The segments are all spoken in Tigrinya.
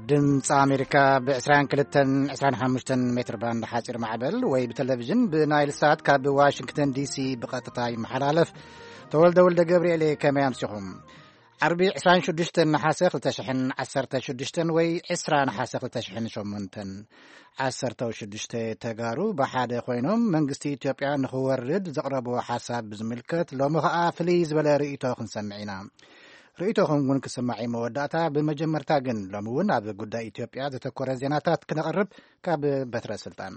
ድምፂ ኣሜሪካ ብ22፣ 25 ሜትር ባንድ ሓፂር ማዕበል ወይ ብቴሌቪዥን ብናይል ሳት ካብ ዋሽንግተን ዲሲ ብቐጥታ ይመሓላለፍ። ተወልደ ወልደ ገብርኤል፣ ከመይ ኣምሲኹም? ዓርቢ 26 ነሓሰ 2016 ወይ 20 ነሓሰ 2008። 16 ተጋሩ ብሓደ ኮይኖም መንግስቲ ኢትዮጵያ ንኽወርድ ዘቕረብዎ ሓሳብ ብዝምልከት ሎሚ ኸኣ ፍልይ ዝበለ ርእይቶ ክንሰምዕ ኢና። ርእይቶኹም እውን ክስማዕ እዩ መወዳእታ። ብመጀመርታ ግን ሎሚ እውን ኣብ ጉዳይ ኢትዮጵያ ዘተኮረ ዜናታት ክነቕርብ ካብ በትረ ስልጣን።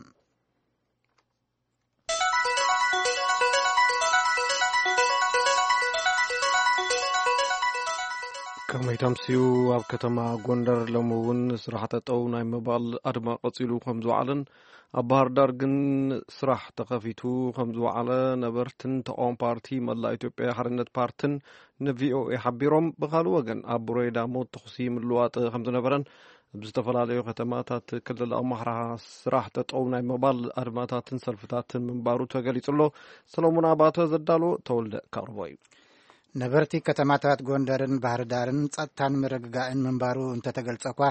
ከመይ ተምስዩ፣ ኣብ ከተማ ጎንደር ሎሚ እውን ስራሕ ጠጠው ናይ ምባል ኣድማ ቀጺሉ ከም ዝወዓለን ኣብ ባህር ዳር ግን ስራሕ ተኸፊቱ ከም ዝወዓለ ነበርትን ተቃዋሚ ፓርቲ መላእ ኢትዮጵያ ሓርነት ፓርትን ንቪኦኤ ሓቢሮም። ብኻልእ ወገን ኣብ ቡሬዳ ሞት ተኹሲ ምልዋጥ ከም ዝነበረን ኣብ ዝተፈላለዩ ከተማታት ክልል ኣምሓራ ስራሕ ጠጠው ናይ ምባል ኣድማታትን ሰልፍታትን ምንባሩ ተገሊጹ ኣሎ። ሰሎሞን ኣባተ ዘዳሎ ተወልደ ከቕርቦ እዩ። ነበርቲ ከተማታት ጎንደርን ባህር ዳርን ጸጥታን ምርግጋእን ምንባሩ እንተተገልጸ እኳ፣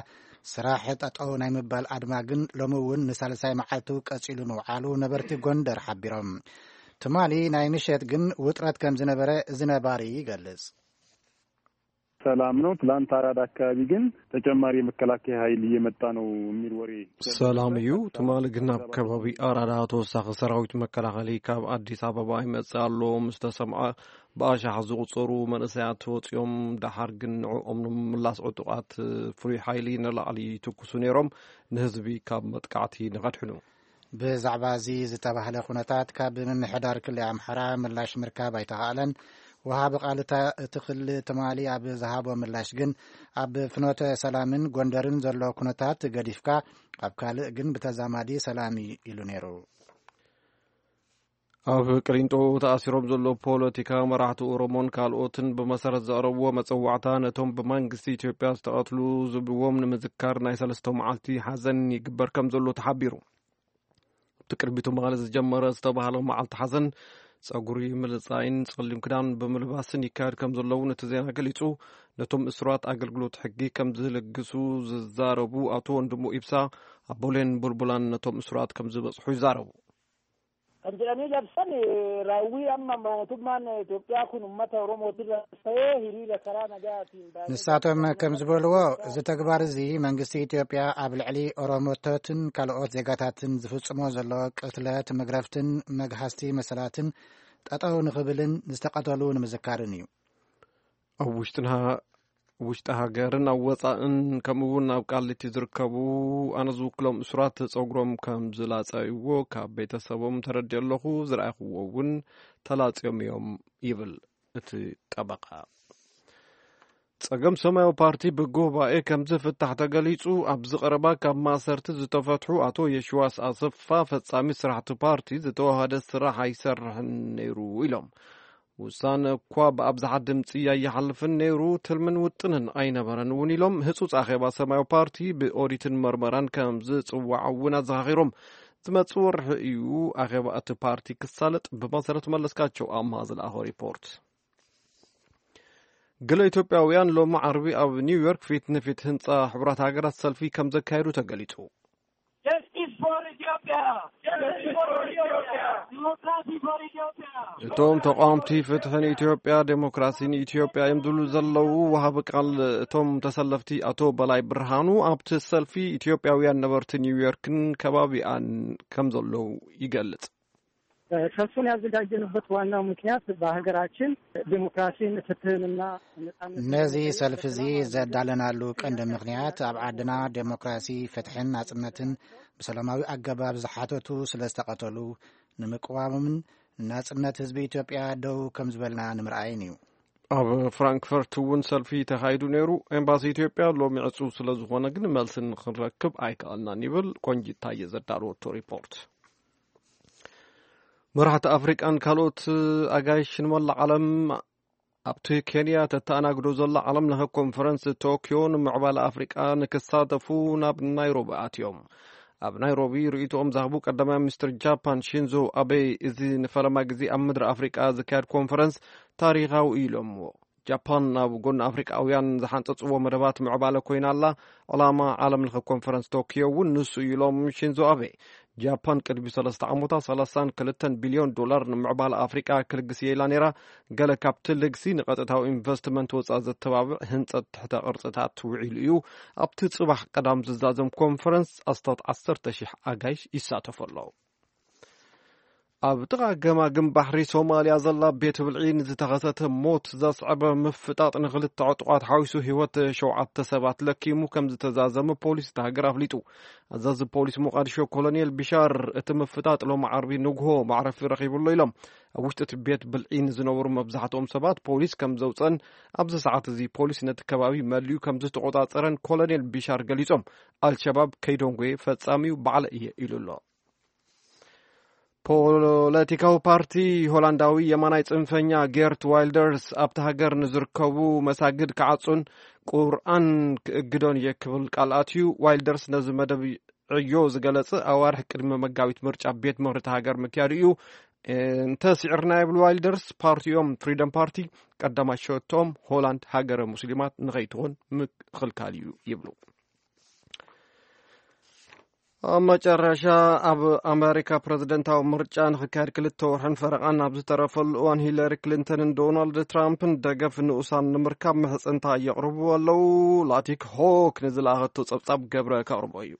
ስራሕ ጠጠው ናይ ምባል ኣድማ ግን ሎሚ እውን ንሳልሳይ መዓልቱ ቀጺሉ ምውዓሉ ነበርቲ ጎንደር ሓቢሮም። ትማሊ ናይ ምሸት ግን ውጥረት ከም ዝነበረ እዚ ነባሪ ይገልጽ። ሰላም ነው። ትላንት አራዳ አካባቢ ግን ተጨማሪ የመከላከያ ኃይል እየመጣ ነው የሚል ወሬ። ሰላም እዩ። ትማሊ ግን ኣብ ከባቢ ኣራዳ ተወሳኺ ሰራዊት መከላኸሊ ካብ ኣዲስ ኣበባ ይመጽእ ኣሎ ምስ ተሰምዐ፣ ብኣሻሓት ዝቑጸሩ መንእሰያት ወጺኦም፣ ደሓር ግን ንዕኦም ንምምላስ ዕጡቓት ፍሉይ ሓይሊ ንላዕሊ ይትኩሱ ነይሮም፣ ንህዝቢ ካብ መጥቃዕቲ ንኸድሕኑ። ብዛዕባ እዚ ዝተባህለ ኩነታት ካብ ምምሕዳር ክልል ኣምሓራ ምላሽ ምርካብ ኣይተኻእለን። ወሃቢ ቃል እታ እቲ ክልል ትማሊ ኣብ ዝሃቦ ምላሽ ግን፣ ኣብ ፍኖተ ሰላምን ጎንደርን ዘሎ ኩነታት ገዲፍካ፣ ኣብ ካልእ ግን ብተዛማዲ ሰላም እዩ ኢሉ ነይሩ። ኣብ ቅሊንጦ ተኣሲሮም ዘለዉ ፖለቲካ መራሕቲ ኦሮሞን ካልኦትን ብመሰረት ዘቕረብዎ መጸዋዕታ፣ ነቶም ብመንግስቲ ኢትዮጵያ ዝተቐትሉ ዝብልዎም ንምዝካር ናይ ሰለስተ መዓልቲ ሓዘን ይግበር ከም ዘሎ ተሓቢሩ። ኣብቲ ቅድሚቱ መቐለ ዝጀመረ ዝተባህለ መዓልቲ ሓዘን፣ ጸጉሪ ምልጻይን ጸሊም ክዳን ብምልባስን ይካየድ ከም ዘለውን እቲ ዜና ገሊጹ። ነቶም እሱራት ኣገልግሎት ሕጊ ከም ዝልግሱ ዝዛረቡ ኣቶ ወንድሙ ኢብሳ፣ ኣቦሌን ቡልቡላን ነቶም እሱራት ከም ዝበጽሑ ይዛረቡ። Kan jedhanii labsan, raawwii amma mootummaan Itoophiyaa kun uummata Oromootirra ta'ee hiriira karaa nagaatiin baay'ee ንሳቶም ከም ዝበልዎ፣ እዚ ተግባር እዚ መንግስቲ ኢትዮጵያ ኣብ ልዕሊ ኦሮሞቶትን ካልኦት ዜጋታትን ዝፍጽሞ ዘሎ ቅትለት፣ መግረፍትን መግሃስቲ መሰላትን ጠጠው ንኽብልን ዝተቐተሉ ንምዝካርን እዩ። ኣብ ውሽጥና ውሽጢ ሃገርን ኣብ ወጻእን ከምኡ እውን ኣብ ቃሊቲ ዝርከቡ ኣነ ዝውክሎም እሱራት ጸጉሮም ከም ዝላጸይዎ ካብ ቤተሰቦም ተረዲኦ ኣለኹ። ዝረኣኹዎ እውን ተላጽዮም እዮም ይብል እቲ ጠበቃ። ጸገም ሰማያዊ ፓርቲ ብጉባኤ ከም ዝፍታሕ ተገሊጹ። ኣብዚ ቀረባ ካብ ማእሰርቲ ዝተፈትሑ ኣቶ የሽዋስ ኣሰፋ ፈጻሚ ስራሕቲ ፓርቲ ዝተዋሃደ ስራሕ ኣይሰርሕን ነይሩ ኢሎም። ውሳነ እኳ ብኣብዝሓ ድምፂ ኣይሓልፍን ነይሩ፣ ትልምን ውጥንን ኣይነበረን እውን ኢሎም። ህፁፅ ኣኼባ ሰማያዊ ፓርቲ ብኦዲትን መርመራን ከም ዝፅዋዕ እውን ኣዘኻኺሮም። ዝመፅእ ወርሒ እዩ ኣኼባ እቲ ፓርቲ ክሳለጥ። ብመሰረት መለስካቸው ኣምሃ ዝለኣኾ ሪፖርት። ገለ ኢትዮጵያውያን ሎሚ ዓርቢ ኣብ ኒውዮርክ ፊት ንፊት ህንፃ ሕቡራት ሃገራት ሰልፊ ከም ዘካየዱ ተገሊፁ። Justice for Ethiopia! Justice for Ethiopia! Democracy for Ethiopia! እቶም ተቃወምቲ ፍትሒ ንኢትዮጵያ፣ ዴሞክራሲ ንኢትዮጵያ እዮም ዝብሉ ዘለዉ ወሃቢ ቃል እቶም ተሰለፍቲ ኣቶ በላይ ብርሃኑ ኣብቲ ሰልፊ ኢትዮጵያውያን ነበርቲ ኒውዮርክን ከባቢኣን ከም ዘለዉ ይገልጽ። ሰልፉን ያዘጋጀንበት ዋናው ምክንያት በሀገራችን ዲሞክራሲን ፍትህንና ነጻነትን ነዚ ሰልፊ እዚ ዘዳለናሉ ቀንዲ ምክንያት ኣብ ዓድና ዴሞክራሲ፣ ፍትሕን ናጽነትን ብሰላማዊ ኣገባብ ዝሓተቱ ስለ ዝተቐተሉ ንምቅዋሞምን ንናጽነት ህዝቢ ኢትዮጵያ ደው ከም ዝበልና ንምርኣይን እዩ። ኣብ ፍራንክፈርት እውን ሰልፊ ተኻይዱ ነይሩ። ኤምባሲ ኢትዮጵያ ሎሚ ዕጹው ስለ ዝኾነ ግን መልሲ ንኽንረክብ ኣይከኣልናን ይብል ቆንጂት ታየ ዘዳለወቶ ሪፖርት። መራሕቲ ኣፍሪቃን ካልኦት ኣጋይሽን መላእ ዓለም ኣብቲ ኬንያ ተተኣናግዶ ዘላ ዓለም ለኸ ኮንፈረንስ ቶኪዮ ንምዕባለ ኣፍሪቃ ንክሳተፉ ናብ ናይሮቢ ኣትዮም። ኣብ ናይሮቢ ርእይቶኦም ዝሃቡ ቀዳማይ ሚኒስትር ጃፓን ሺንዞ ኣቤ፣ እዚ ንፈለማ ግዜ ኣብ ምድሪ ኣፍሪቃ ዝካየድ ኮንፈረንስ ታሪኻዊ እዩ ኢሎምዎ። ጃፓን ናብ ጎኒ ኣፍሪቃውያን ዝሓንጸጽዎ መደባት ምዕባለ ኮይና ኣላ። ዕላማ ዓለም ለኸ ኮንፈረንስ ቶኪዮ እውን ንሱ እዩ ኢሎም ሽንዞ ኣቤ። ጃፓን ቅድሚ ሰለስተ ዓመታት ሰላሳን ክልተን ቢልዮን ዶላር ንምዕባለ ኣፍሪቃ ክልግስ እየ ኢላ ነይራ። ገለ ካብቲ ልግሲ ንቐጥታዊ ኢንቨስትመንት ወፃእ ዘተባብዕ ህንፀት ትሕተ ቅርፅታት ውዒሉ እዩ። ኣብቲ ፅባሕ ቀዳም ዝዛዘም ኮንፈረንስ ኣስታት ዓሰርተ ሺሕ ኣጋይሽ ይሳተፉ ኣለዉ። ኣብ ጥቓ ገማግም ባሕሪ ሶማልያ ዘላ ቤት ብልዒ ንዝተኸሰተ ሞት ዘስዕበ ምፍጣጥ ንኽልተ ዕጡቓት ሓዊሱ ህይወት ሸውዓተ ሰባት ለኪሙ ከም ዝተዛዘመ ፖሊስ እታ ሃገር ኣፍሊጡ። ኣዛዚ ፖሊስ ሞቃዲሾ ኮሎኔል ቢሻር እቲ ምፍጣጥ ሎሚ ዓርቢ ንግሆ ማዕረፊ ረኺቡ ኣሎ ኢሎም። ኣብ ውሽጢ እቲ ቤት ብልዒ ንዝነበሩ መብዛሕትኦም ሰባት ፖሊስ ከም ዘውፀን ኣብዚ ሰዓት እዚ ፖሊስ ነቲ ከባቢ መሊኡ ከም ዝተቆፃፀረን ኮሎኔል ቢሻር ገሊፆም። ኣልሸባብ ከይደንጎየ ፈጻሚኡ ባዕለ እየ ኢሉ ኣሎ። ፖለቲካዊ ፓርቲ ሆላንዳዊ የማናይ ጽንፈኛ ጌርት ዋይልደርስ ኣብቲ ሃገር ንዝርከቡ መሳግድ ክዓጹን ቁርኣን ክእግዶን እየ ክብል ቃል ኣትዩ። ዋይልደርስ ነዚ መደብ ዕዮ ዝገለጸ ኣዋርሕ ቅድሚ መጋቢት ምርጫ ቤት ምኽሪ እታ ሃገር ምክያዱ እዩ። እንተ ስዒርና ይብል ዋይልደርስ፣ ፓርቲኦም ፍሪደም ፓርቲ ቀዳማይ ሸቶም ሆላንድ ሃገረ ሙስሊማት ንኸይትኾን ምክልካል እዩ ይብሉ። ኣብ መጨረሻ ኣብ ኣሜሪካ ፕረዚደንታዊ ምርጫ ንኽካየድ ክልተ ወርሕን ፈረቓን ኣብ ዝተረፈሉ እዋን ሂለሪ ክሊንተንን ዶናልድ ትራምፕን ደገፍ ንኡሳን ንምርካብ ምሕጽንታ የቕርቡ ኣለዉ። ላቲክ ሆክ ንዝለኣኸቶ ጸብጻብ ገብረ ከቕርቦ እዩ።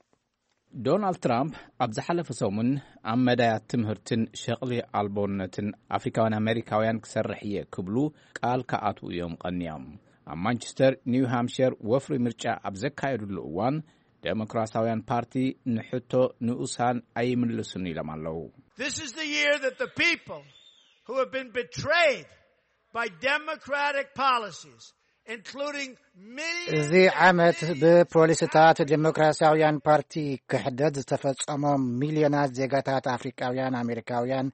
ዶናልድ ትራምፕ ኣብ ዝሓለፈ ሰሙን ኣብ መዳያት ትምህርትን ሸቕሊ ኣልቦነትን ኣፍሪካውያን ኣሜሪካውያን ክሰርሕ እየ ክብሉ ቃል ክኣትዉ እዮም ቀንዮም። ኣብ ማንቸስተር ኒው ሃምፕሸር ወፍሪ ምርጫ ኣብ ዘካየዱሉ እዋን ዴሞክራሲያውያን ፓርቲ ንሕቶ ንኡሳን ኣይምልሱን ኢሎም ኣለዉ። This is the year that the people who have been betrayed by democratic policies, including millions እዚ ዓመት ብፖሊስታት ዴሞክራሲያውያን ፓርቲ ክሕደት ዝተፈጸሞም ሚልዮናት ዜጋታት ኣፍሪቃውያን ኣሜሪካውያን፣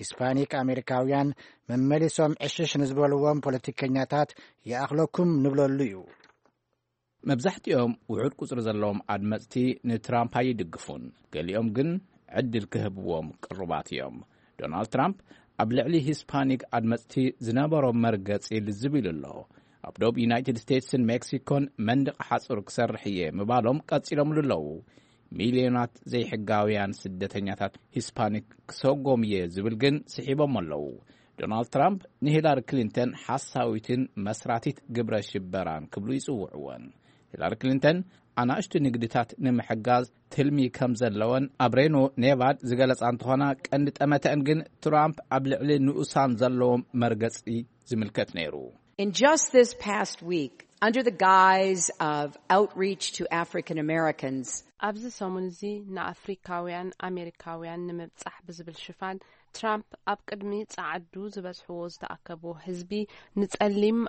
ሂስፓኒክ ኣሜሪካውያን መመሊሶም ዕሽሽ ንዝበልዎም ፖለቲከኛታት ይኣኽለኩም ንብለሉ እዩ። መብዛሕትኦም ውሑድ ቁጽሪ ዘለዎም ኣድመጽቲ ንትራምፕ ኣይድግፉን። ገሊኦም ግን ዕድል ክህብዎም ቅሩባት እዮም። ዶናልድ ትራምፕ ኣብ ልዕሊ ሂስፓኒክ ኣድመጽቲ ዝነበሮ መርገጺ ልዝብ ኢሉ ኣሎ። ኣብ ዶብ ዩናይትድ ስቴትስን ሜክሲኮን መንደቕ ሓጹር ክሰርሕ እየ ምባሎም ቀጺሎምሉ ኣለዉ። ሚልዮናት ዘይሕጋውያን ስደተኛታት ሂስፓኒክ ክሰጎም እየ ዝብል ግን ስሒቦም ኣለዉ። ዶናልድ ትራምፕ ንሂላሪ ክሊንተን ሓሳዊትን መስራቲት ግብረ ሽበራን ክብሉ ይጽውዕወን። ሂላሪ ክሊንተን ኣናእሽቱ ንግድታት ንምሕጋዝ ትልሚ ከም ዘለወን ኣብ ሬኖ ኔቫድ ዝገለጻ እንተኾና፣ ቀንዲ ጠመተአን ግን ትራምፕ ኣብ ልዕሊ ንኡሳን ዘለዎም መርገጺ ዝምልከት ነይሩ። In just this past week, under the guise of outreach to African Americans, ኣብዚ ሰሙን እዚ ንኣፍሪካውያን ኣሜሪካውያን ንምብጻሕ ብዝብል ሽፋን ትራምፕ ኣብ ቅድሚ ጸዓዱ ዝበዝሕዎ ዝተኣከብዎ ህዝቢ ንጸሊም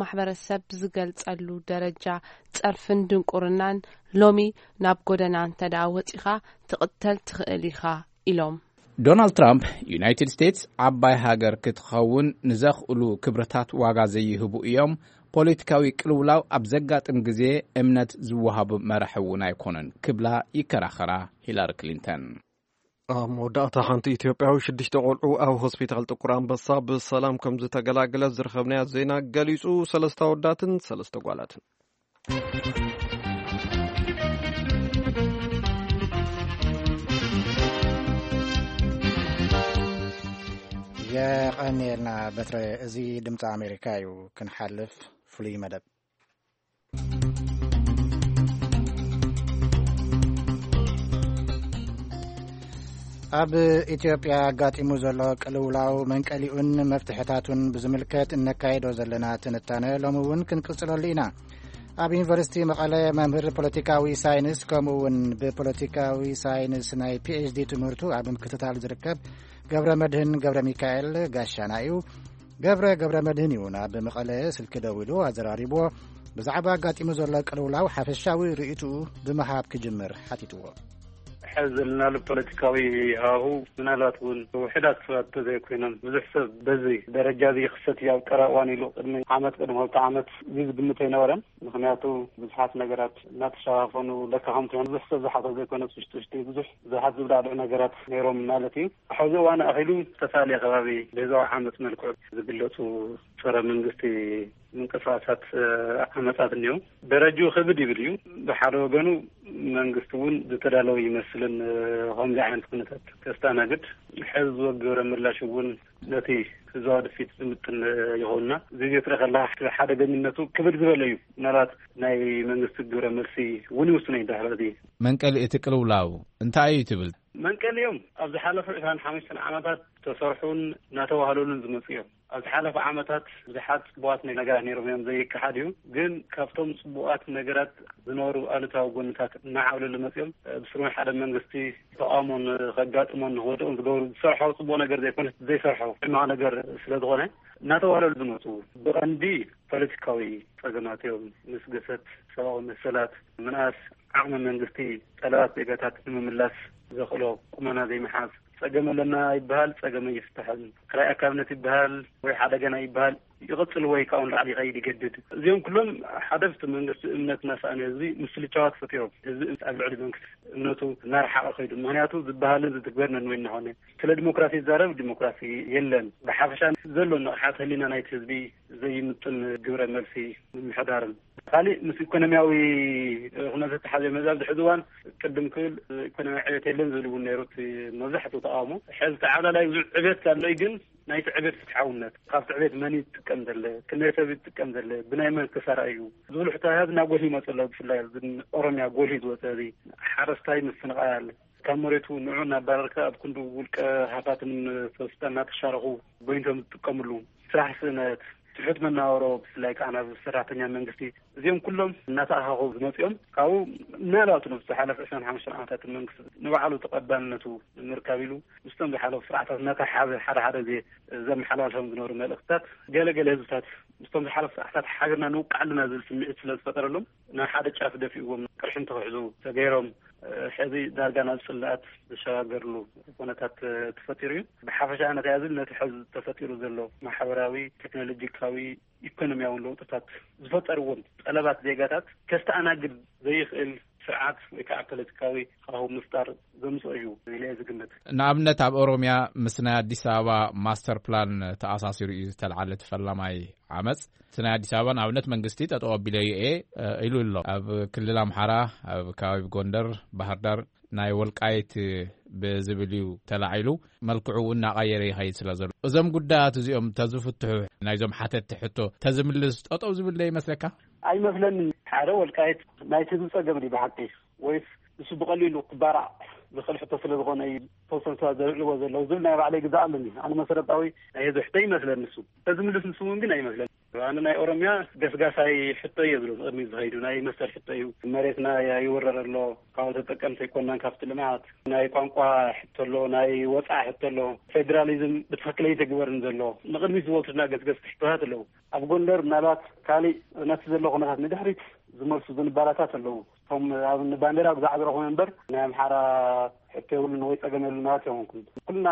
ማሕበረሰብ ዝገልጸሉ ደረጃ ጸርፍን ድንቁርናን ሎሚ ናብ ጎደና እንተ ደኣ ወጺኻ ትቕተል ትኽእል ኢኻ ኢሎም። ዶናልድ ትራምፕ ዩናይትድ ስቴትስ ዓባይ ሃገር ክትኸውን ንዘኽእሉ ክብርታት ዋጋ ዘይህቡ እዮም። ፖለቲካዊ ቅልውላው ኣብ ዘጋጥም ግዜ እምነት ዝወሃቡ መራሒ እውን ኣይኮኑን ክብላ ይከራኸራ ሂላሪ ክሊንተን። ኣብ መወዳእታ ሓንቲ ኢትዮጵያዊ ሽዱሽተ ቆልዑ ኣብ ሆስፒታል ጥቁር ኣንበሳ ብሰላም ከም ዝተገላገለ ዝረኸብናዮ ዜና ገሊጹ። ሰለስተ ኣወዳትን ሰለስተ ጓላትን። የቐንየልና በትረ። እዚ ድምፂ ኣሜሪካ እዩ። ክንሓልፍ ፍሉይ መደብ። ኣብ ኢትዮጵያ ኣጋጢሙ ዘሎ ቅልውላው መንቀሊኡን መፍትሕታቱን ብዝምልከት እነካይዶ ዘለና ትንታነ ሎሚ እውን ክንቅጽለሉ ኢና። ኣብ ዩኒቨርሲቲ መቐለ መምህር ፖለቲካዊ ሳይንስ ከምኡ እውን ብፖለቲካዊ ሳይንስ ናይ ፒኤችዲ ትምህርቱ ኣብ ምክትታል ዝርከብ ገብረ መድህን ገብረ ሚካኤል ጋሻና እዩ። ገብረ ገብረ መድህን እዩ ናብ መቐለ ስልኪ ደዊሉ ኣዘራሪብዎ። ብዛዕባ ኣጋጢሙ ዘሎ ቅልውላው ሓፈሻዊ ርእይትኡ ብምሃብ ክጅምር ሓቲትዎ። ሕዚ ዘለናሉ ፖለቲካዊ ሃዋሁ ምናልባት እውን ውሑዳት ሰባት ተዘይኮይኖም ብዙሕ ሰብ በዚ ደረጃ እዚ ይኽሰት እዩ ኣብ ቀረባ እዋን ኢሉ ቅድሚ ዓመት፣ ቅድሚ ክልተ ዓመት እዚ ዝግምት ኣይነበረን። ምኽንያቱ ብዙሓት ነገራት እናተሸፋፈኑ ለካ ከምቲ ብዙሕ ሰብ ዝሓቶ ዘይኮነስ ውሽጢ ውሽጢ ብዙሕ ብዙሓት ዝብዳዕድዑ ነገራት ነይሮም ማለት እዩ። ሕዚ እዋን ኣኺሉ ዝተፈላለየ ከባቢ ብህዝባዊ ዓመፅ መልክዑ ዝግለፁ ፀረ መንግስቲ ምንቅስቃሳት ዓመጻት እኒኦ። ደረጃኡ ክብድ ይብል እዩ። ብሓደ ወገኑ መንግስቲ እውን ዝተዳለወ ይመስልን ከምዚ ዓይነት ኩነታት ከስተኣናግድ ሕዚ ዝወ ግብረ ምላሽ እውን ነቲ ህዝባዊ ድፊት ዝምጥን ይኸውንና። እዚ ትርኢ ከለካ ሓደገኝነቱ ክብድ ዝበለ እዩ። ምናልባት ናይ መንግስቲ ግብረ መልሲ እውን ይውስኖ እዩ። ድሕሪ እዚ መንቀሊ እቲ ቅልውላው እንታይ እዩ ትብል? መንቀሊ እዮም ኣብ ዝሓለፉ ዕስራን ሓሙሽተን ዓመታት ተሰርሑን እናተዋህለሉን ዝመፁ እዮም። ኣብ ዝሓለፉ ዓመታት ብዙሓት ፅቡቓት ነገራት ነይሮም እዮም፣ ዘይከሓድ እዩ። ግን ካብቶም ፅቡቓት ነገራት ዝነበሩ ኣሉታዊ ጎንታት እናዓብለሉ መፅኦም ብስሩ ሓደ መንግስቲ ተቃውሞን ከጋጥሞን ንክወድቕን ዝገብሩ ዝሰርሖ ፅቡቕ ነገር ዘይኮነ ዘይሰርሖ ሕማቕ ነገር ስለዝኾነ እናተዋህለሉ ዝመፁ ብቐንዲ ፖለቲካዊ ፀገማት እዮም። ምስ ግሰት ሰብኣዊ መሰላት ምንኣስ ዓቕሚ መንግስቲ ጠለባት ዜጋታት ንምምላስ ዘኽእሎ ቁመና ዘይምሓዝ፣ ጸገም ኣለና ይበሃል፣ ጸገም ኣይፍታሕን። ክራይ ኣካብነት ይበሃል ወይ ሓደገና ይበሃል፣ ይቕጽል ወይ ካብኡ ንላዕሊ ይኸይድ ይገድድ። እዚኦም ኩሎም ሓደ ብቲ መንግስቲ እምነት እናሰኣነ ህዝቢ ምስልቻዋት ፈጢሮም፣ ህዝቢ ኣብ ልዕሊ መንግስቲ እምነቱ እናረሓቐ ከይዱ። ምኽንያቱ ዝበሃልን ዝትግበር ነንወይ እናኾነ፣ ስለ ዲሞክራሲ ይዛረብ፣ ዲሞክራሲ የለን። ብሓፈሻ ዘሎ ንቕሓት ህሊና ናይቲ ህዝቢ ዘይምጥን ግብረ መልሲ ምምሕዳርን። ካሊእ ምስ ኢኮኖሚያዊ ኩነታት ተሓዘ መዛብ ድሕዚ እዋን ቅድም ክብል ኢኮኖሚያዊ ዕቤት የለን ዝብል እውን ነይሩ እቲ መብዛሕትኡ ተቃውሞ። ሕዚ ተዓብላላይ ብዙሕ ዕቤት ኣሎ እዩ፣ ግን ናይቲ ዕቤት ፍትሓውነት፣ ካብቲ ዕቤት መን ይጥቀም ዘለ፣ ክንደይ ሰብ ይጥቀም ዘለ፣ ብናይ መን ክሳራ እዩ ዝብሉ ሕቶታት እናጎልሁ ይመፁ ኣለዉ። ብፍላይ ኣብዚ ኦሮሚያ ጎልሁ ዝወፀ እዚ ሓረስታይ ምፍንቃል፣ ካብ መሬቱ ንዑ እናባረርካ ኣብ ክንዱ ውልቀ ሃፋትምን ሰብስታ እናተሻረኹ ጎይንቶም ዝጥቀምሉ፣ ስራሕ ስእነት፣ ትሑት መናበሮ፣ ብፍላይ ከዓ ናብ ሰራሕተኛ መንግስቲ፣ እዚኦም ኩሎም እናተኣኻኸቡ ዝመፅኦም ካብኡ ምናልባት ነብቲ ዝሓለፈ ዕስራን ሓሙሽተን ዓመታት መንግስቲ ንባዕሉ ተቐባልነቱ ንምርካብ ኢሉ ምስቶም ዝሓለፉ ስርዓታት እናተሓሓዘ ሓደ ሓደ ግዜ ዘመሓላልፎም ዝነበሩ መልእኽትታት ገለ ገለ ህዝብታት ምስቶም ዝሓለፉ ስርዓታት ሓቢርና ንውቃዕ ኣለና ዝብል ስምዒት ስለ ዝፈጠረሎም ናብ ሓደ ጫፍ ደፊእዎም ቅርሕንቲ ክሕዙ ተገይሮም። ሕዚ ዳርጋ ናብ ጽልኣት ዝሸጋገርሉ ኩነታት ተፈጢሩ እዩ። ብሓፈሻ ነቲ ያዝን ነቲ ሕዚ ተፈጢሩ ዘሎ ማሕበራዊ፣ ቴክኖሎጂካዊ፣ ኢኮኖሚያዊ ለውጥታት ዝፈጠርዎም ጠለባት ዜጋታት ከስተኣናግድ ዘይኽእል ስርዓት ወይ ከዓ ፖለቲካዊ ሃዋህው ምፍጣር ዘምፅኦ እዩ ኢለ እየ ዝግምት። ንኣብነት ኣብ ኦሮሚያ ምስ ናይ ኣዲስ ኣበባ ማስተር ፕላን ተኣሳሲሩ እዩ ዝተልዓለ እቲ ፈላማይ ዓመፅ። እቲ ናይ ኣዲስ ኣበባ ንኣብነት መንግስቲ ጠጠው ኣቢለዮ እየ ኢሉ ኣሎ። ኣብ ክልል ኣምሓራ ኣብ ከባቢ ጎንደር፣ ባህር ዳር ናይ ወልቃይት ብዝብል እዩ ተላዒሉ። መልክዑ እናቐየረ ይኸይድ ስለ ዘሎ እዞም ጉዳያት እዚኦም ተዝፍትሑ ናይዞም ሓተትቲ ሕቶ ተዝምልስ ጠጠው ዝብል ዶ ይመስለካ? ኣይመስለንን። ሓደ ወልቃይት ናይቲ ህዝቢ ጸገም ድዩ ብሓቂ ወይስ ንሱ ብቐሊሉ ክባራዕ ዝኽእል ሕቶ ስለ ዝኾነ እዩ ተወሰኑ ሰባት ዘልዕልዎ ዘለዉ ዝብል ናይ ባዕለይ ግዛእ ኣለኒ። ኣነ መሰረታዊ ናይ ህዝቢ ሕቶ ይመስለኒ እሱ። ተዝምልስ ንሱ እውን ግን ኣይመስለኒ። ኣነ ናይ ኦሮሚያ ገስጋሳይ ሕቶ እየ ዝብል ቅድሚ ዝኸይዱ ናይ መሰል ሕቶ እዩ። መሬትና ይውረር ኣሎ፣ ካብ ተጠቀምቲ ኣይኮናን፣ ካብቲ ልምዓት ናይ ቋንቋ ሕቶ ኣሎ፣ ናይ ወፃኢ ሕቶ ኣሎ፣ ፌዴራሊዝም ብትኽክል ኣይተግበርን ዘሎ ንቅድሚት ዝበልቱና ገስገስቲ ሕቶታት ኣለዉ። ኣብ ጎንደር ምናልባት ካሊእ ነቲ ዘሎ ኩነታት ንድሕሪት ዝመልሱ ዝንባላታት ኣለዉ። እቶም ኣብ ባንዴራ ብዛዕባ ረኹም እምበር ናይ ኣምሓራ ሕቶ የብሉን ወይ ጸገም የብሉን ማለት ኣይኮንኩን። ኩልና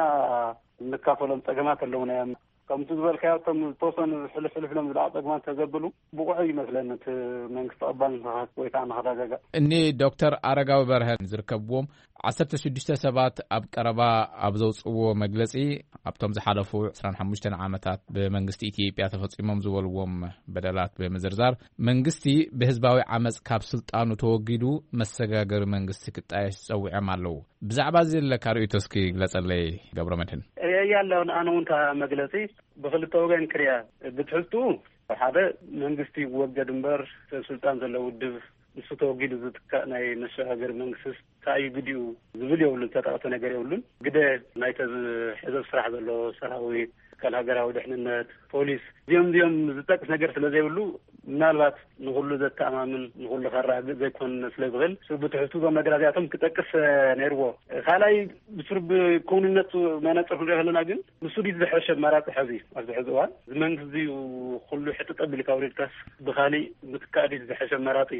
እንካፈሎም ጸገማት ኣለዉ ናይ ከምቲ ዝበልካዮ እቶም ዝተወሰኑ ሕልፍ ሕልፍ ኢሎም ዝለዓሉ ጸገማት ተዘብሉ ብቑዕ ይመስለኒ እቲ መንግስቲ ቀባል ንኽኸት ወይ ከዓ ንኸረጋጋእ። እኒ ዶክተር ኣረጋዊ በርሀን ዝርከብዎም ዓሰርተ ሽዱሽተ ሰባት ኣብ ቀረባ ኣብ ዘውፅዎ መግለፂ ኣብቶም ዝሓለፉ ዕስራን ሓሙሽተን ዓመታት ብመንግስቲ ኢትዮጵያ ተፈፂሞም ዝበልዎም በደላት ብምዝርዛር መንግስቲ ብህዝባዊ ዓመፅ ካብ ስልጣኑ ተወጊዱ መሰጋገሪ መንግስቲ ክጣየሽ ፀዊዖም ኣለዉ። ብዛዕባ እዚ ዘለካ ርእይቶ እስኪ ግለፀለይ ገብረ መድህን። ርእየያ ኣለኹ። ኣነ እውን እታ መግለፂ ብኽልተ ወገን ክሪኣ። ብትሕዝቱ ሓደ መንግስቲ ይወገድ እምበር ሰብ ስልጣን ዘለዎ ውድብ ንሱ ተወጊዱ ዝትካእ ናይ መሸጋገሪ መንግስቲ እንታይ እዩ ግዲኡ ዝብል የብሉን፣ ዝተጠቕሰ ነገር የብሉን። ግደ ናይተ ዝሕዘብ ስራሕ ዘሎ ሰራዊት፣ ትካል ሃገራዊ ድሕንነት፣ ፖሊስ፣ እዚኦም እዚኦም ዝጠቅስ ነገር ስለ ዘይብሉ ምናልባት ንኹሉ ዘተኣማምን ንኹሉ ከረጋግእ ዘይኮን ስለ ዝኽእል፣ እሱ ብትሕዝቱ እዞም ነገራት እዚኣቶም ክጠቅስ ነይርዎ። ካልኣይ ብስሩ ብክውንነቱ መነፅር ክንሪኦ ከለና ግን ንሱ ድዩ ዝሐሸ ኣማራፂ? ሕዚ ኣብዚ ሕዚ እዋን እዚ መንግስቲ እዚ ኩሉ ሕጥጥ ኣቢልካ ኣውሪድካስ ብካሊእ ምትካእ ድዩ ዝሐሸ ኣማራፂ?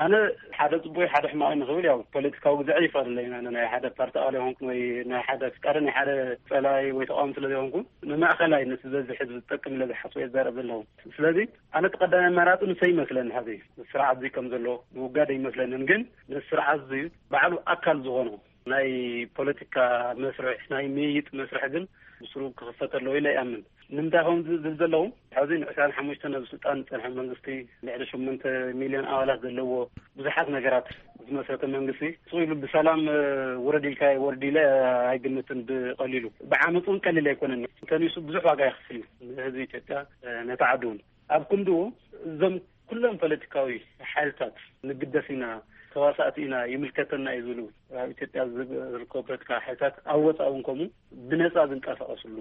ኣነ ሓደ ፅቡቅ ሓደ ሕማቅ ንክብል ያው ፖለቲካዊ ግዛዕ ይፈለለይ። ኣነ ናይ ሓደ ፓርቲ ኣባል ይኮንኩን ወይ ናይ ሓደ ፍቃደ ናይ ሓደ ፀላይ ወይ ተቃዋሚ ስለ ዘይኮንኩ ንማእከላይ ነቲ ዝበዝሕ ህዝቢ ዝጠቅም ኢለ ዝሓስቦ እየ ዝዛረብ ዘለኹ። ስለዚ ኣነ እቲ ቀዳማይ ኣማራፂ ንሰይ ይመስለኒ። ሕዚ ስርዓት እዚ ከም ዘሎ ምውጋድ ኣይመስለንን፣ ግን ነቲ ስርዓት እዚ ባዕሉ ኣካል ዝኾኖ ናይ ፖለቲካ መስርሕ ናይ ምይይጥ መስርሕ ግን ብስሩ ክኽፈት ኣለዎ ኢለ ይኣምን። ንምንታይ ከም ዝብል ዘለዉ፣ ሕዚ ንዕስራን ሓሙሽተን ኣብ ስልጣን ዝጸንሐ መንግስቲ፣ ልዕሊ ሸሞንተ ሚልዮን ኣባላት ዘለዎ፣ ብዙሓት ነገራት ዝመስረተ መንግስቲ፣ ስቕ ኢሉ ብሰላም ውረድ ኢልካ፣ ወርድ ኢለ ኣይግምትን። ብቐሊሉ ብዓመፅ እውን ቀሊል ኣይኮነን። እንተኒሱ ብዙሕ ዋጋ ይኸፍል እዩ ንህዝቢ ኢትዮጵያ፣ ነታ ዓዲ እውን። ኣብ ክንድኡ እዞም ኩሎም ፖለቲካዊ ሓይልታት፣ ንግደስ ኢና፣ ተዋሳእቲ ኢና፣ ይምልከተና እዩ ዝብሉ፣ ኣብ ኢትዮጵያ ዝርከቡ ፖለቲካዊ ሓይልታት ኣብ ወፃኢ እውን ከምኡ ብነፃ ዝንቀሳቐስሉ፣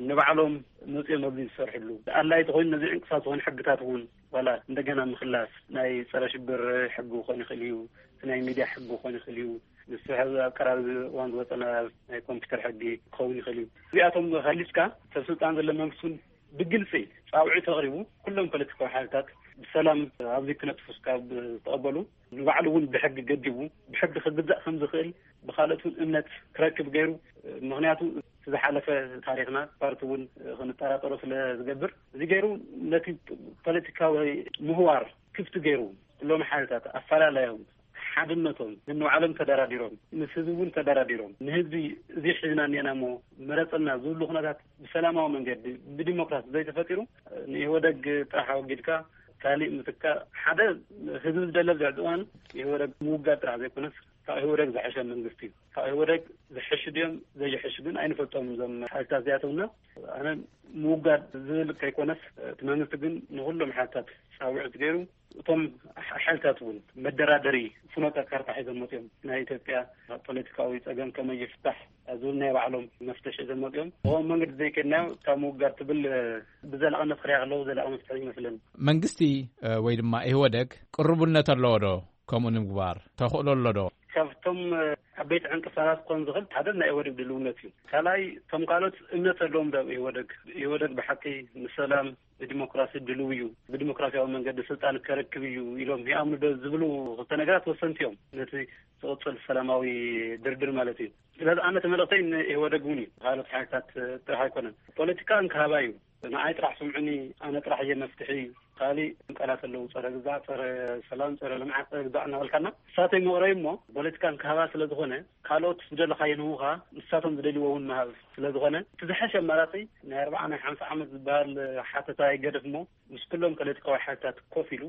ንባዕሎም መፅኦም ኣብዚ ዝሰርሕሉ፣ ኣድላይ ተኮይኑ ነዚ ዕንቅፋት ዝኾነ ሕግታት እውን ዋላ እንደገና ምክላስ፣ ናይ ፀረ ሽብር ሕጊ ክኾን ይኽእል እዩ፣ እቲ ናይ ሚድያ ሕጊ ክኾን ይኽእል እዩ። ንሱ ሕዚ ኣብ ቀራቢ እዋን ዝወፀና ናይ ኮምፒውተር ሕጊ ክኸውን ይኽእል እዩ። እዚኣቶም ከሊፅካ ሰብ ስልጣን ዘሎ መንግስቲ እውን ብግልፂ ፃውዒት ኣቕሪቡ፣ ኩሎም ፖለቲካዊ ሓይልታት ብሰላም ኣብዚ ክነጥፉ እስካብ ዝተቐበሉ፣ ንባዕሉ እውን ብሕጊ ገዲቡ፣ ብሕጊ ክግዛእ ከም ዝኽእል፣ ብካልኦት እውን እምነት ክረክብ ገይሩ። ምክንያቱ እቲ ዝሓለፈ ታሪኽና፣ ፓርቲ እውን ክንጠራጠሮ ስለ ዝገብር፣ እዚ ገይሩ ነቲ ፖለቲካዊ ምህዋር ክፍቲ ገይሩ፣ ኩሎም ሓይልታት ኣፈላለዮም ሓድነቶም፣ ንባዕሎም ተደራዲሮም፣ ምስ ህዝቢ እውን ተደራዲሮም፣ ንህዝቢ እዚ ሒዝና እኒአና እሞ መረፀና ዝብሉ ኩነታት ብሰላማዊ መንገዲ፣ ብዲሞክራሲ ዘይተፈጢሩ፣ ንኢህወደግ ጥራሕ ኣወጊድካ ካሊእ ምትካእ፣ ሓደ ህዝቢ ዝደለ ኣብዚ ሕዚ እዋን ኢህወደግ ምውጋድ ጥራሕ ዘይኮነስ፣ ካብ ኢህወደግ ዝሐሸ መንግስቲ እዩ። ካብ ኢህወደግ ዝሐሹ ድዮም ዘይሐሹ ግን ኣይንፈልጦም እዞም ሓይልታት እዚኣቶምና። ኣነ ምውጋድ ዝብል ከይኮነስ፣ እቲ መንግስቲ ግን ንኩሎም ሓይልታት ፃውዒት ገይሩ፣ እቶም ሓ-፣ ሓይልታት እውን መደራደሪ ፍኖተ ካርታ ሒዞም መፅኦም። ናይ ኢትዮጵያ ፖለቲካዊ ፀገም ከመይ ይፍታሕ ዝብል ናይ ባዕሎም መፍትሒ ሒዞም መፅኦም። ብኸምኡ መንገዲ ዘይከድናዮ፣ ካብ ምውጋድ ትብል ብዘላቕነት ክሪኣ ከለዉ ዘላቒ መፍትሒ ይመስለኒ። መንግስቲ፣ እ፣ ወይ ድማ ኢህወደግ ቅርቡነት ኣለዎ ዶ ከምኡ ንምግባር? ተኽእሎ ኣሎ ዶ? ካብቶም፣ እ፣ ዓበይቲ ዕንቅፋታት ክኾን ዝኽእል ሓደ ናይ ኢህወደግ ድልውነት እዩ። ካልኣይ፣ እቶም ካልኦት እምነት ኣለዎም ዶ ኣብ ኢህወደግ? ኢህወደግ ብሓቂ ንሰላም፣ ንዲሞክራሲ ድልው እዩ፣ ብዲሞክራሲያዊ መንገዲ ስልጣን ከረክብ እዩ ኢሎም ይኣምኑ ዶ ዝብሉ ክልተ ነገራት ወሰንቲ እዮም፣ ነቲ ዝቕጽል ሰላማዊ ድርድር ማለት እዩ። ስለዚ ኣነ እቲ መልእኽተይ ንኢህወደግ እውን እዩ፣ ካልኦት ሓይልታት ጥራሕ ኣይኮነን። ፖለቲካ እንክሃባ እዩ። ንዓይ ጥራሕ ስምዑኒ፣ ኣነ ጥራሕ እየ መፍትሒ። ካሊእ ቃላት ኣለዉ፣ ጸረ ግዛዕ፣ ጸረ ሰላም፣ ጸረ ልምዓት፣ ጸረ ግዛዕ እናበልካና፣ ንሳተይ መቕረቢ እሞ ፖለቲካ እንክሃባ ስለ ዝኾነ፣ ካልኦት ዝደለኻዮ ንህቡኻ፣ ንሳቶም ዝደልይዎ እውን ምሃብ ስለ ዝኾነ፣ እቲ ዝሐሸ ኣማራጺ ናይ ኣርብዓ ናይ ሓምሳ ዓመት ዝበሃል ሓተታ ይገደፍ እሞ፣ ምስ ኩሎም ፖለቲካዊ ሓይልታት ኮፍ ኢሉ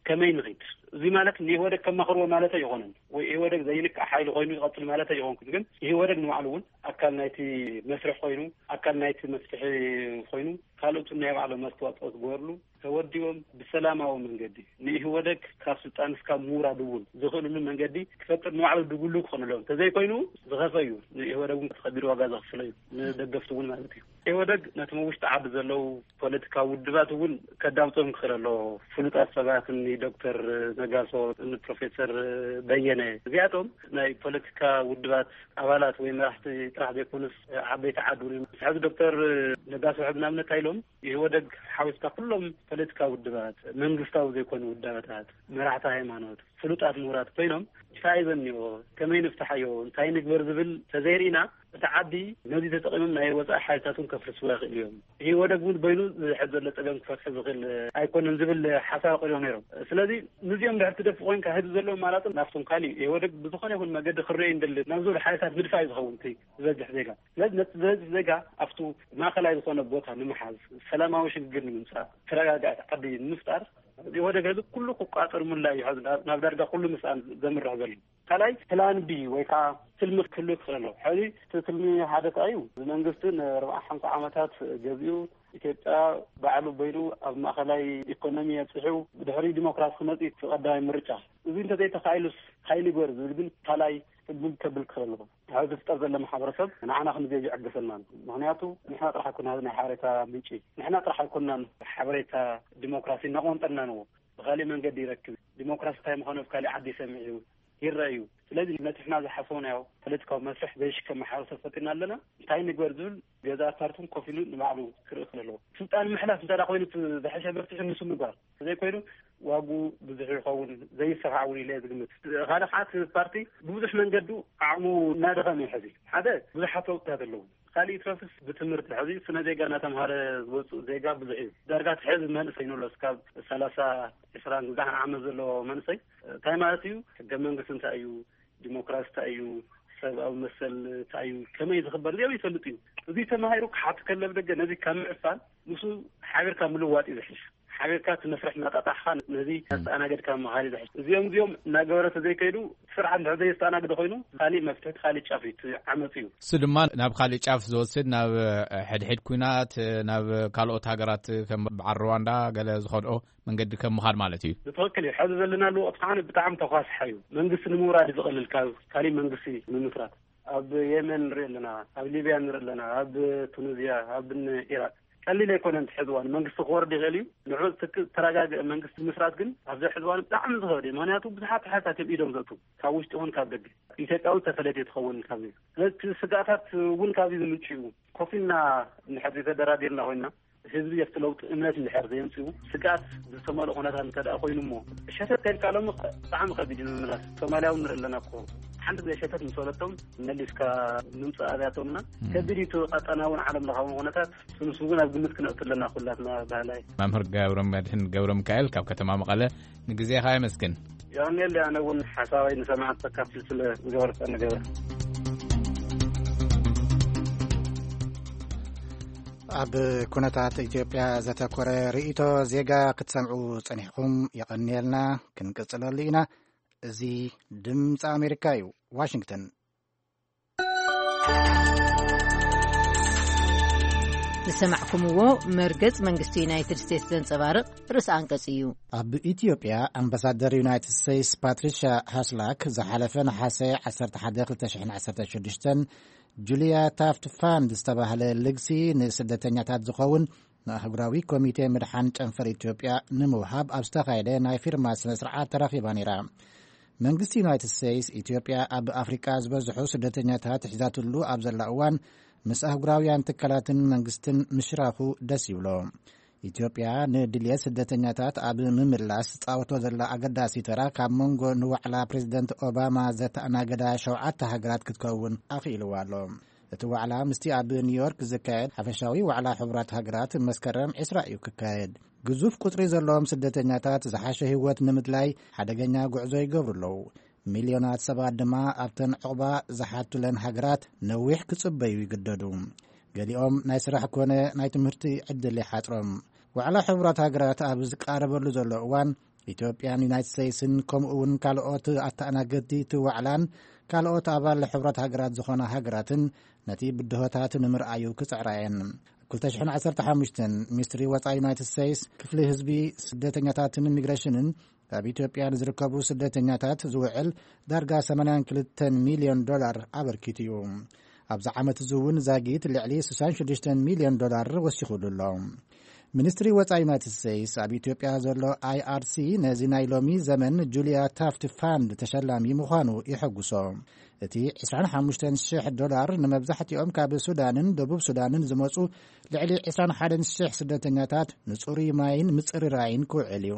ከመይ ንኺድ? እዚ ማለት ንኢህወደግ ከማኽርዎ ማለት ኣይኾነን፣ ወይ ኢህወደግ ዘይንካእ ሓይሊ ኮይኑ ይቐጽል ማለት ኣይኾንኩን። ግን ኢህወደግ ንባዕሉ እውን ኣካል ናይቲ መስርሕ ኮይኑ፣ ኣካል ናይቲ መፍትሒ ኮይኑ፣ ካልኦት ናይ ባዕሎም ኣስተዋፅኦ ዝገበርሉ ተወዲቦም ብሰላማዊ መንገዲ ንኢህወደግ ካብ ስልጣን እስካብ ምውራድ እውን ዝኽእልሉ መንገዲ ክፈጥር ንባዕሉ ድጉሉ ክኾንሎም። እንተዘይኮይኑ ዝኸፈ እዩ። ንኢህወደግ እውን ከቢድ ዋጋ ዘኽፍሎ እዩ። ንደገፍቲ እውን ማለት እዩ። ኢህወደግ ነቶም ኣብ ውሽጢ ዓዲ ዘለዉ ፖለቲካዊ ውድባት እውን ከዳምጾም ክኽእል ኣለዎ። ፍሉጣት ሰባት፣ እኒ ዶክተር ነጋሶ፣ እኒ ፕሮፌሰር በየነ፣ እዚኣቶም ናይ ፖለቲካ ውድባት ኣባላት ወይ መራሕቲ ጥራሕ ዘይኮኑስ ዓበይቲ ዓዲ እውን እዮም። ሕዚ ዶክተር ነጋሶ ሕዚ ንኣብነት እንታይ ኢሎም፣ ኢህወደግ ሓዊስካ ኩሎም ፖለቲካዊ ውድባት፣ መንግስታዊ ዘይኮኑ ውዳበታት፣ መራሕቲ ሃይማኖት፣ ፍሉጣት ምሁራት ኮይኖም እንታይ እዩ ዘኒዎ፣ ከመይ ንፍትሓዮ፣ እንታይ ንግበር ዝብል ተዘይርኢና፣ እቲ ዓዲ ነዚ ተጠቒሞም ናይ ወጻኢ ሓይልታት እውን ከፍርስዎ ይኽእሉ እዮም። ኢህወደግ እውን በይኑ ዝሕዝ ዘሎ ጸገም ክፈትሖ ዝኽእል ኣይኮነን ዝብል ሓሳብ ኣቕሪቦም ነይሮም። ስለዚ ነዚኦም ድሕር ትደፍእ ኮይንካ፣ ህዝቢ ዘለዎ ኣማራጺ ናብቶም ካሊእ ኢህወደግ ብዝኾነ ይኹን መገዲ ክረአ እንደሊ ናብ ዝብሉ ሓይልታት ምድፋእ እዩ ዝኸውን እቲ ዝበዝሕ ዜጋ። ስለዚ ነቲ ዝበዝሕ ዜጋ ኣብቱ ማእከላይ ዝኾነ ቦታ ንምሓዝ፣ ሰላማዊ ሽግግር ንምምጻእ፣ ተረጋጋእቲ ዓዲ ንምፍጣር፣ ኢህወደግ ህዝቢ ኩሉ ክቋጸር ሙላ እዩ። ሕዚ ናብ፣ ናብ ዳርጋ ኩሉ ምስኣን ዘምርሕ ዘሎ። ካልኣይ ፕላን ቢ ወይ ከዓ ትልሚ ክህሉ ይኽእል ኣሎ። ሕዚ እቲ ትልሚ ሓደ እንታይ እዩ? እዚ መንግስቲ ንኣርብዓ ሓምሳ ዓመታት ገዚኡ ኢትዮጵያ ባዕሉ በይኑ ኣብ ማእከላይ ኢኮኖሚ ኣብፂሑ ብድሕሪ ዲሞክራሲ ክመፅእ እቲ ቀዳማይ ምርጫ። እዚ እንተዘይተኻኢሉስ እንታይ ንግበር ዝብል ግን ካልኣይ ትልሚ ከብል ክኽእል ኣለዎ። ኣብ ዝፍጠር ዘሎ ማሕበረሰብ ንዓና ክንዘይ ይዕገሰናን። ምኽንያቱ ንሕና ጥራሕ ኣይኮና ናይ ሓበሬታ ምንጪ፣ ንሕና ጥራሕ ኣይኮናን ሓበሬታ ዲሞክራሲ እናቆንጠርና ንዎ። ብኻሊእ መንገዲ ይረክብ። ዲሞክራሲ እንታይ ምዃኑ ኣብ ካሊእ ዓዲ ይሰምዕ እዩ፣ ይረአ እዩ። ስለዚ ነቲ ንሕና ዝሓሰብናዮ ፖለቲካዊ መስርሕ ዘይሽከም ማሕበረሰብ ፈጢርና ኣለና። እንታይ ንግበር ዝብል ገዛ ፓርትን ኮፍ ኢሉ ንባዕሉ ክርኢ ክእል ኣለዎ። ስልጣን ምሕላፍ እንተ ደኣ ኮይኑ እቲ ዝሐሸ መፍትሒ ንሱ ምግባር። ዘይኮይኑ ዋጉ ብዙሕ ይኸውን፣ ዘይሰፋዕ እውን ኢለ ዝግምት። ካልእ ከዓ እቲ ፓርቲ ብብዙሕ መንገዱ ዓቕሙ እናደኸመ እዩ ሕዚ። ሓደ ብዙሓት ለውጥታት ኣለዉ። ካሊእ ይትረፍስ ብትምህርቲ ሕዚ ስነ ዜጋ እናተምሃረ ዝወፅእ ዜጋ ብዙሕ እዩ። ዳርጋ እቲ ሕዚ መንእሰይ ንብሎ እስካብ ሰላሳ፣ ዕስራን ግዛሕን ዓመት ዘለዎ መንእሰይ እንታይ ማለት እዩ? ሕገ መንግስቲ እንታይ እዩ? ዲሞክራሲ እንታይ እዩ? ሰብኣዊ መሰል እንታይ እዩ? ከመይ ዝኽበር እዚኦም ይፈልጥ እዩ። እዚ ተማሂሩ ክሓት ከለብ ደገ ነዚ ካብ ምዕፋን ምስ ሓቢርካ ምልዋጥ እዩ ዝሕሽ። ሓቢርካ እቲ መስርሕ እናጣጣሕካ ነዚ ኣስተኣናገድካ ምኻድ እዩ ዝሕሽ። እዚኦም እዚኦም እናገበረ ተዘይከይዱ፣ ስርዓት እንድሕር ዘየስተኣናግደ ኮይኑ፣ ካሊእ መፍትሒ፣ ካሊእ ጫፍ እዩ፣ እቲ ዓመፅ እዩ። እሱ ድማ ናብ ካሊእ ጫፍ ዝወስድ፣ ናብ ሕድሕድ ኩናት፣ ናብ ካልኦት ሃገራት ከም በዓል ሩዋንዳ ገለ ዝኸድኦ መንገዲ ከም ምኻድ ማለት እዩ። ብትኽክል እዩ። ሕዚ ዘለናሉ ወቕቲ ከዓ ብጣዕሚ ተኳስሓ እዩ። መንግስቲ ንምውራድ ዝቐልል ካብ ካሊእ መንግስቲ ምምስራት። ኣብ የመን ንርኢ ኣለና፣ ኣብ ሊብያ ንርኢ ኣለና፣ ኣብ ቱኒዝያ፣ ኣብ ኢራቅ ቀሊል ኣይኮነን። እቲ ሕዚ እዋን መንግስቲ ክወርድ ይኽእል እዩ። ንዑ ትክ-፣ ተረጋግአ መንግስቲ ምስራት ግን ኣብዚ ሕዚ እዋን ብጣዕሚ ዝኸብድ እዩ። ምኽንያቱ ብዙሓት ሓይልታት እዮም ኢዶም ዘእቱ፣ ካብ ውሽጢ እውን ካብ ደገ። ኢትዮጵያ እውን ተፈለየ ትኸውን ካብዚ። ስለዚ እቲ ስጋኣታት እውን ካብዚ ዝምንጩ እዩ። ኮፍ ኢልና እንድሕር ዘይተደራዲርና ኮይና፣ ህዝቢ ኣብቲ ለውጢ እምነት እንድሕር ዘየምፅኡ፣ ስጋኣት ዝተመልኦ ኩነታት እንተ ደኣ ኮይኑ እሞ፣ ሸተት ከይልካ ሎሚ ብጣዕሚ ከቢድ እዩ ንምምላስ። ሶማልያ እውን ንርኢ ኣለና እኮ። ሓንቲ ግዜ ሸተት ምስ በለቶም መሊስካ ምምፃእ ኣብያቶምና እም። ከቢድ እዩ። እቲ ቀጠናውን ዓለም ለኻውን ኩነታት፣ ንሱ እውን ኣብ ግምት ክነእቱ ኣለና ኩላትና ባህላይ። መምህር ገብረ መድህን ገብረ ሚካኤል ካብ ከተማ መቐለ፣ ንግዜኻ የመስግን። የቐንየለይ። ኣነ እውን ሓሳባይ ንሰማዕቲ ከካፍል ስለ ዝገበርካ ንገበር። ኣብ ኩነታት ኢትዮጵያ ዘተኮረ ርእይቶ ዜጋ ክትሰምዑ ጸኒሕኩም፣ የቐንየልና። ክንቅጽለሉ ኢና። እዚ ድምፂ ኣሜሪካ እዩ። ዋሽንግተን። ዝሰማዕኩምዎ መርገጽ መንግስቲ ዩናይትድ ስቴትስ ዘንጸባርቕ ርእሰ ኣንቀጽ እዩ። ኣብ ኢትዮጵያ ኣምባሳደር ዩናይትድ ስቴትስ ፓትሪሻ ሃስላክ ዝሓለፈ ነሓሰ ዓሰርተ ሓደ ክልተ ሽሕን ዓሰርተ ሽዱሽተን ጁልያ ታፍት ፋንድ ዝተባህለ ልግሲ ንስደተኛታት ዝኸውን ንኣህጉራዊ ኮሚቴ ምድሓን ጨንፈር ኢትዮጵያ ንምውሃብ ኣብ ዝተኻየደ ናይ ፊርማ ስነ ስርዓት ተረኺባ ነይራ። መንግስቲ ዩናይትድ ስቴትስ፣ ኢትዮጵያ ኣብ ኣፍሪቃ ዝበዝሑ ስደተኛታት ሒዛትሉ ኣብ ዘላ እዋን፣ ምስ ኣህጉራውያን ትካላትን መንግስትን ምሽራኹ ደስ ይብሎ። ኢትዮጵያ ንድልየት ስደተኛታት ኣብ ምምላስ ትጻወቶ ዘላ ኣገዳሲ ተራ፣ ካብ መንጎ ንዋዕላ ፕሬዚደንት ኦባማ ዘተኣናገዳ ሸውዓተ ሃገራት ክትከውን ኣኽኢልዋ ኣሎ። እቲ ዋዕላ ምስቲ ኣብ ኒውዮርክ ዝካየድ ሓፈሻዊ ዋዕላ ሕቡራት ሃገራት መስከረም ዕስራ እዩ ክካየድ። ግዙፍ ቁጽሪ ዘለዎም ስደተኛታት ዝሓሸ ህይወት ንምድላይ ሓደገኛ ጉዕዞ ይገብሩ ኣለዉ። ሚልዮናት ሰባት ድማ ኣብተን ዕቑባ ዝሓቱለን ሃገራት ነዊሕ ክጽበዩ ይግደዱ። ገሊኦም ናይ ስራሕ ኮነ ናይ ትምህርቲ ዕድል ይሓጽሮም። ዋዕላ ሕቡራት ሃገራት ኣብ ዝቃረበሉ ዘሎ እዋን፣ ኢትዮጵያን ዩናይትድ ስቴትስን ከምኡ እውን ካልኦት ኣተኣናገድቲ እቲ ዋዕላን ካልኦት ኣባል ሕቡራት ሃገራት ዝኾና ሃገራትን ነቲ ብድሆታት ንምርኣዩ ክጽዕራ እየን። ክልተ ሽሕን ዓሰርተ ሓሙሽተን ሚኒስትሪ ወጻኢ ዩናይትድ ስቴትስ፣ ክፍሊ ህዝቢ፣ ስደተኛታትን ኢሚግሬሽንን ኣብ ኢትዮጵያ ንዝርከቡ ስደተኛታት ዝውዕል ዳርጋ ሰማንያን ክልተን ሚልዮን ዶላር ኣበርኪቱ እዩ። ኣብዚ ዓመት እዚ እውን ዛጊት ልዕሊ ስሳን ሽዱሽተን ሚልዮን ዶላር ወሲኹሉ ኣሎ። ሚኒስትሪ ወጻኢ ዩናይትድ ስቴትስ ኣብ ኢትዮጵያ ዘሎ ኣይ ኣር ሲ ነዚ ናይ ሎሚ ዘመን ጁልያ ታፍት ፋንድ ተሸላሚ ምዃኑ የሐጉሶ። እቲ ዕስራን ሓሙሽተን ሽሕ ዶላር ንመብዛሕትኦም ካብ ሱዳንን ደቡብ ሱዳንን ዝመጹ ልዕሊ ዕስራን ሓደን ሽሕ ስደተኛታት ንጽሩይ ማይን ምጽርራይን ክውዕል እዩ።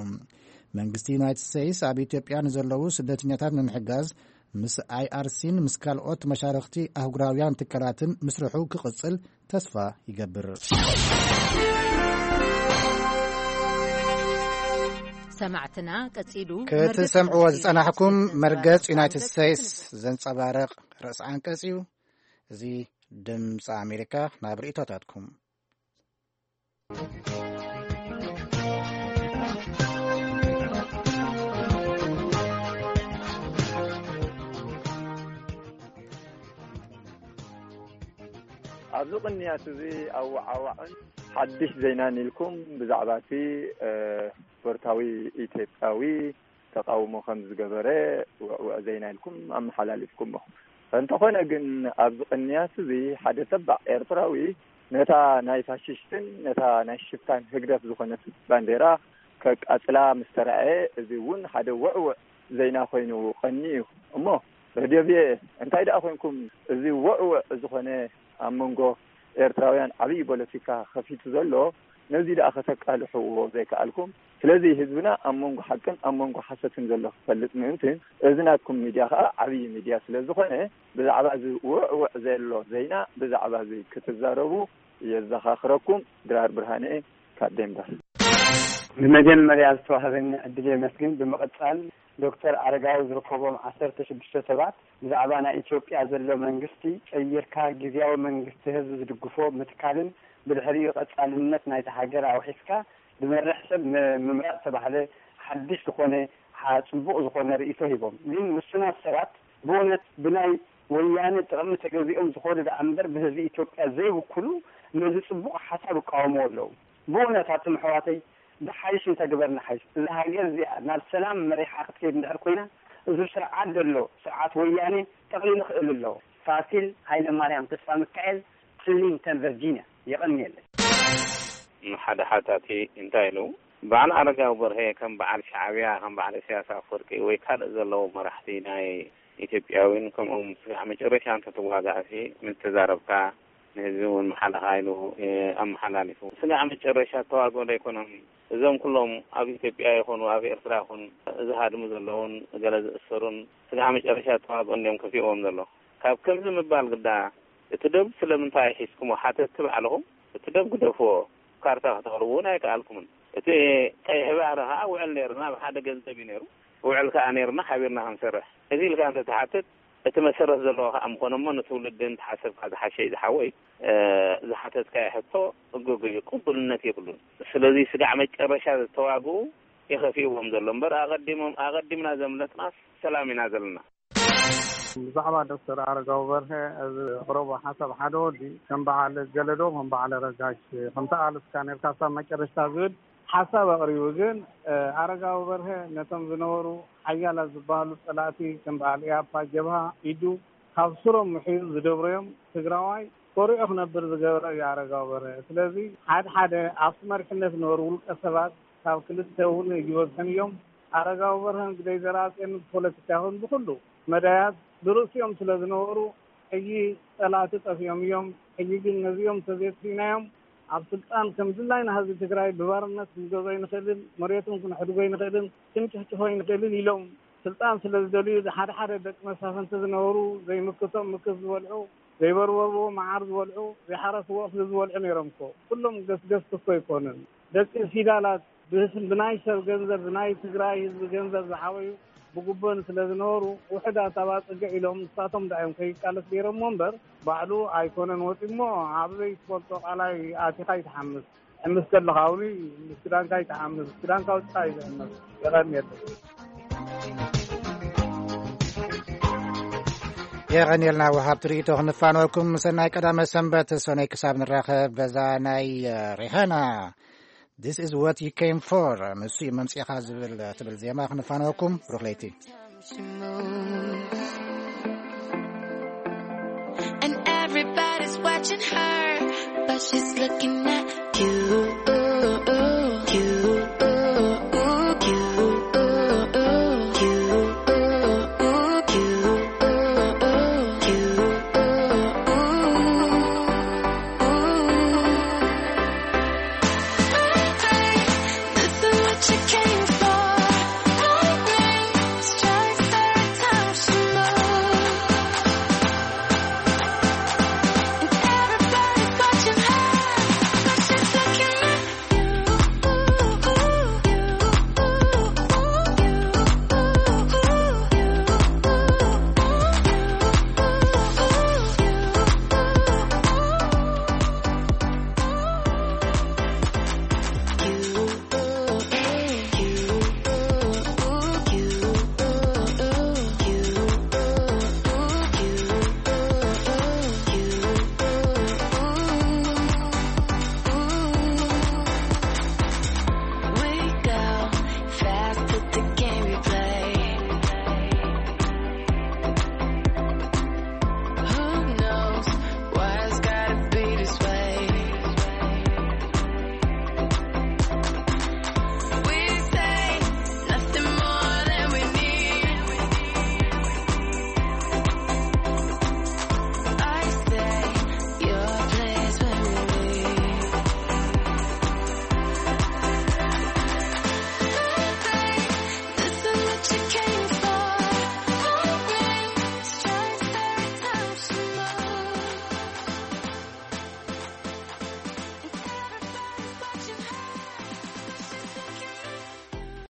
መንግስቲ ዩናይትድ ስቴትስ ኣብ ኢትዮጵያ ንዘለዉ ስደተኛታት ንምሕጋዝ ምስ ኣይ ኣር ሲን ምስ ካልኦት መሻርኽቲ ኣህጉራውያን ትካላትን ምስርሑ ክቕጽል ተስፋ ይገብር። ሰማዕትና፣ ቀጺሉ ክትሰምዕዎ መርገጽ ዝጸናሕኩም መርገጽ ዩናይትድ ስቴትስ ዘንጸባርቕ ርእሲ ኣንቀጽ እዩ። እዚ ድምፂ ኣሜሪካ። ናብ ርእይቶታትኩም። ኣብዚ ቅንያት እዚ ኣወዓዋዕን ሓድሽ ዜናን ኢልኩም ብዛዕባ እቲ፣ እ፣ ስፖርታዊ ኢትዮጵያዊ ተቃውሞ ከም ዝገበረ ውዕውዕ ዜና ኢልኩም ኣመሓላሊፍኩሞ። እንተኾነ ግን ኣብዚ ቅንያት እዚ ሓደ ተባዕ ኤርትራዊ ነታ ናይ ፋሽስትን ነታ ናይ ሽፍታን ህግደፍ ዝኾነት ባንዴራ ከቃጽላ ምስ ተራእየ፣ እዚ እውን ሓደ ውዕውዕ ዜና ኮይኑ ቀንዩ እዩ። እሞ ረድዮ ቪኦኤ፣ እንታይ ደኣ ኮንኩም፣ እዚ ውዕውዕ ዝኾነ ኣብ መንጎ ኤርትራውያን ዓብዪ ፖለቲካ ከፊቱ ዘሎ፣ ነዚ ደኣ ከተቃልሕዎ ዘይከኣልኩም? ስለዚ ህዝብና ኣብ መንጎ ሓቅን ኣብ መንጎ ሓሰትን ዘሎ ክፈልጥ ምእንትን፣ እዚ ናትኩም ሚድያ ከኣ ዓብዪ ሚድያ ስለ ዝኾነ፣ ብዛዕባ እዚ ውዕውዕ ዘሎ ዜና፣ ብዛዕባ እዚ ክትዛረቡ የዘኻኽረኩም። ድራር ብርሃነ ካብ ዴንቨር። ብመጀመርያ ዝተዋህበኒ ዕድል የመስግን። ብምቕጻል ዶክተር ኣረጋዊ ዝርከቦም ዓሰርተ ሽዱሽተ ሰባት ብዛዕባ ናይ ኢትዮጵያ ዘሎ መንግስቲ ቀይርካ ግዝያዊ መንግስቲ ህዝቢ ዝድግፎ ምትካልን ብድሕሪኡ ቀጻልነት ናይቲ ሃገር ኣውሒስካ ብመርሕ ሰብ ም- ምምራጽ ተባህለ ሓድሽ ዝኾነ ሓ- ጽቡቕ ዝኾነ ርእይቶ ሂቦም። ግን ውሱናት ሰባት ብእውነት ብናይ ወያነ ጥቕሚ ተገዚኦም ዝኾኑ ደኣ እምበር ብህዝቢ ኢትዮጵያ ዘይውክሉ ነዚ ጽቡቕ ሓሳብ ይቃወምዎ ኣለዉ። ብእውነት ኣቱም ኣሕዋተይ ብሓይሽ እንተግበር ንሓይሽ። እዛ ሃገር እዚኣ ናብ ሰላም መሪሓ ክትከይድ እንድሕር ኮይና፣ እዚ ስርዓት ዘሎ ስርዓት ወያኔ ጠቕሊሉ ክእል ኣለዎ። ፋሲል ሃይለማርያም ተስፋ ሚካኤል፣ ክሊንተን ቨርጂኒያ። የቐንየለይ። ሓደ ሓታቲ እንታይ ኢሉ? በዓል ኣረጋዊ በርሀ ከም በዓል ሻዕብያ፣ ከም በዓል ኢሳያስ ኣፈወርቂ ወይ ካልእ ዘለዉ መራሕቲ ናይ ኢትዮጵያዊን ከምኦም ስጋዕ መጨረሻ እንተትዋጋእሲ ምተዛረብካ ንህዝቢ እውን መሓለኻ ኢሉ ኣመሓላሊፉ። ስጋዕ መጨረሻ ተዋግኦ ኣይኮነን። እዞም ኩሎም ኣብ ኢትዮጵያ ይኹኑ ኣብ ኤርትራ ይኹን ዝሃድሙ ዘለውን ገለ ዝእሰሩን ስጋዕ መጨረሻ ተዋግኦ እንዲዮም ከፊእዎም ዘሎ። ካብ ከምዚ ምባል ግዳ እቲ ደብ ስለምንታይ ሒዝኩሞ ሓተቲ ባዕልኹም እቲ ደብ ግደፍዎ። ካርታ ከተቕርቡ እውን ኣይከኣልኩምን። እቲ ቀይሕ ባሕሪ ከዓ ውዕል ነይርና፣ ኣብ ሓደ ገንዘብ እዩ ነይሩ። ውዕል ከዓ ነይርና ሓቢርና ክንሰርሕ እዚ ኢልካ እንተትሓትት እቲ መሰረት ዘለዎ ከዓ ምኾነ እሞ ንትውልዲ እንተሓሰብካ ዝሓሸ እዩ ዝሓወይ። ዝሓተትካዮ ሕቶ እጎጎ እዩ፣ ቅቡልነት የብሉን። ስለዚ ስጋዕ መጨረሻ ዝተዋግኡ የኸፊእዎም ዘሎ እምበር ኣቐዲሞም ኣቐዲምና ዘምለጥና ሰላም ኢና ዘለና። ብዛዕባ ዶክተር ኣረጋዊ በርሀ እዚ ቅረቦ ሓሳብ ሓደ ወዲ ከም በዓል ገለዶ ከም በዓል ረጋሽ ከምቲ ኣልስካ ነርካ ሳብ መጨረሽታ ዝብል ሓሳብ ኣቕሪቡ። ግን ኣረጋዊ በርሀ ነቶም ዝነበሩ ሓያላት ዝበሃሉ ጸላእቲ ከም በዓል ኢያፓ፣ ጀብሃ፣ ኢዱ ካብ ስሮም ምሒዙ ዝደብረዮም ትግራዋይ ኮሪዑ ክነብር ዝገበረ እዩ ኣረጋዊ በርሀ። ስለዚ ሓደ ሓደ ኣብቲ መሪሕነት ዝነበሩ ውልቀ ሰባት ካብ ክልተ እውን ይበዝሑን እዮም። ኣረጋዊ በርሀን ግደይ ዘርኣጽዮንን ብፖለቲካ ይኹን ብኹሉ መዳያት ብርእሲኦም ስለ ዝነበሩ ሕጂ ጸላእቲ ጠፊኦም እዮም። ሕጂ ግን ነዚኦም እንተዘየጥፊእናዮም ኣብ ስልጣን ከም ድላይና ህዝቢ ትግራይ ብባርነት ክንገዝኦ ኣይንኽእልን፣ መሬቶም ክንሕድጎ ኣይንኽእልን፣ ክንጭፍጭፎ ኣይንኽእልን ኢሎም ስልጣን ስለ ዝደልዩ ሓደ ሓደ ደቂ መሳፍንቲ ዝነበሩ ዘይምክቶም ምክት ዝበልዑ ዘይበርበርዎ መዓር ዝበልዑ ዘይሓረስዎ እኽሊ ዝበልዑ ነይሮም እኮ። ኩሎም ገስገስቲ እኮ ኣይኮኑን። ደቂ ፊዳላት ብናይ ሰብ ገንዘብ ብናይ ትግራይ ህዝቢ ገንዘብ ዝዓበዩ ብጉቦን ስለ ዝነበሩ ውሕዳት ኣባፅግዕ ኢሎም ንሳቶም ደኣ እዮም ከይቃለስ ገይሮምዎ እምበር ባዕሉ ኣይኮነን ወፂሞ ኣብ ዘይትፈልጦ ቃላይ ኣቲኻ ይትሓምስ። ሕምስ ከለኻ እውን ምስ ክዳንካ ይትሓምስ፣ ክዳንካ ውፅኣ እዩ ዝሕመስ። የቐንየለይ። የቐንየልና ወሃብቲ ርእይቶ ክንፋነወኩም። ሰናይ ቀዳመ ሰንበት ሰነይ ክሳብ ንራኸብ በዛ ናይ ሪሃና This is what you came for ንሱ እዩ መምፅኢኻ ዝብል ትብል ዜማ ክንፋነወኩም። ብሩኽ ለይቲ። And everybody's watching her, but she's looking at you.